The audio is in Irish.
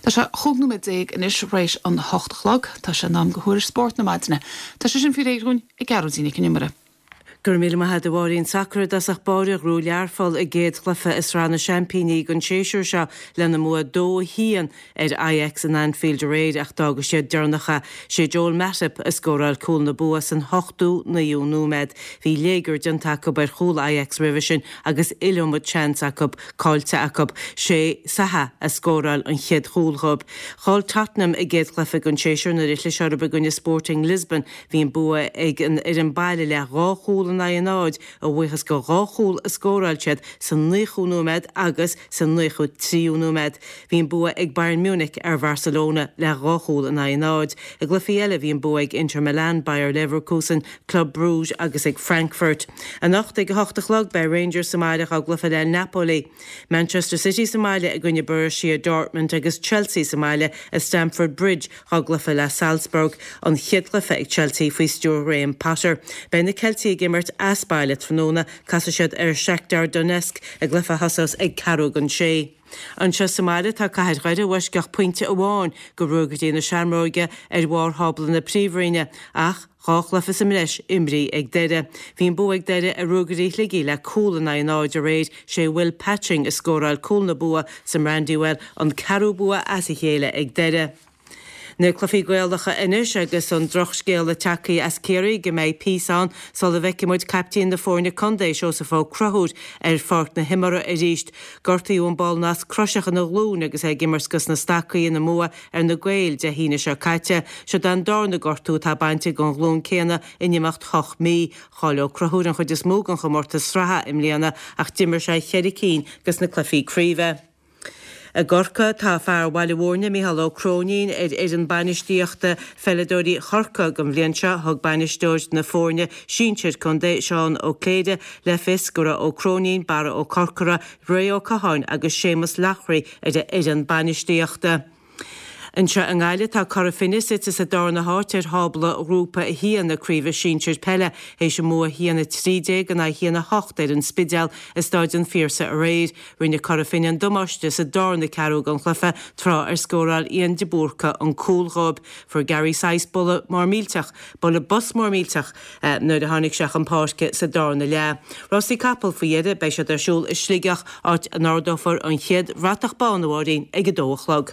Tá sé 15 nóiméad anois th'réis an 8 a chlog. Tá sé in am do thuairisc spóirt na maidine. Tá sé sin faoi réir dhúinn ag Gearóidín Nic an Iomaire. Go raibh míle maith agat a Mháirín. Sacar i dtosach báire ghnóthaigh Learpholl a gcéad chluiche i Sraith na Seaimpíní don séasúr seo lena mbua 2-1 ar Ajax in Anfield aréir ach d'fhága siad deireanach é. Sé Joel Matip a scóráil cúl na bua san ochtú naoú nóiméad. Bhí léigear déanta acu ar chúl Ajax roimhe sin agus iliomad seans acu caillte acu. Sé Saha a scóráil an chéad chúl dhóibh. Chaill Tottenham a gcéad chluiche den séasúr nuair a chlis orthu i gcoinne Sporting Lisbon. Bhí an bua ag an fhoireann baile le dhá chúl in aghaidh a náid a bhuíochas go dhá chúl a scóráil siad sa naochú nóiméad agus sa naochú tríú nóiméad. Bhí an bua ag Bayern Munich ar Bharcelona le dhá chúl in aghaidh a náid. I gcluichí eile bhí an bua ag Inter Milan, Bayer Leverkusen, Club Brugge agus ag Frankfurt. Anocht ag a hocht a chlog beidh Rangers sa mbaile dhá gcluiche le Napoli. Manchester City sa mbaile i gcoinne Borussia Dortmund agus Chelsea sa mbaile i Stamford Bridge dhá gcluiche le Salzburg, an chéad chluiche ag Chelsea faoi stiúir Ghraham Potter. Beidh na Ceiltigh ag imirt as baile tráthnóna, casfaidh siad ar Shakhtar Donetsk i gcluiche a thosós ag ceathrú don sé. Anseo sa mbaile tá Cathair Dhoire i bhfoisceacht pointe amháin go Ruagairí na Seamróige ar bharr thábla na Príomhroinne ach dhá chluiche sa mbreis imrithe ag Doire. Bhí an bua ag Doire ar Ruagairí Shligigh le cúl in aghaidh a náid aréir, sé Will Patching a scóráil cúl na bua sa mBrandywell, an ceathrú bua as a chéile ag Doire. Na cluichí Gaelacha anois agus an drochscéala tagtha as Ciarraí go mbeidh píosa ann sula bhfeicfidh muid caiptín na foirne contae, Seosamh Ó Conchúir, ar pháirc na himeartha arís. Gortaíodh an ball nasc croiseach ina ghlúin agus é ag imirt dos na Stacaigh ina mbua ar na Gaeil Dé hAoine seo caite. Seod é an darna gortú atá bainte den ghlúin céanna in imeacht hocht mí. Chaill Ó Conchúir an chuid is mó den chomórtas sraithe i mbliana ach d'imir sé cheithre cinn dos na cluichí craoibhe. I gCorcaigh, tá fear Bhaile Mhúirne, Micheál Ó Cróinín, ar fhoireann bainistíochta pheileadóirí Chorcaí don bhliain seo. Thug bainisteoir na foirne sinsir contae, Seán Ó Cléirigh, le fios go raibh Ó Cróinín, Barra Ó Corcora, Ray Ó Catháin agus Séamus Loughrey ar a fhoireann bainistíochta. Anseo i nGaillimh, tá Cora Finne suite sa darna háit ar thábla Ghrúpa 1 na Craoibhe Sinsir Peile théis a mbua 1-13 in aghaidh 1-8 ar an Spidéal i Stáid an Phiarsaigh aréir. Rinne Cora Finne an damáiste sa darna ceathrú den chluiche tráth ar scóráil Ian de Búrca an cúl dhóibh. Fuair Gary Sice buille mór millteach, bualadh bos mór millteach, nuair a tháinig sé chun páirce sa darna leath. Rásaí capall faoi dheireadh, beidh siad ar siúl i Sligeach, áit a n-ardófar an chéad bhratach bán, a Mháirín, ag a dó a chlog.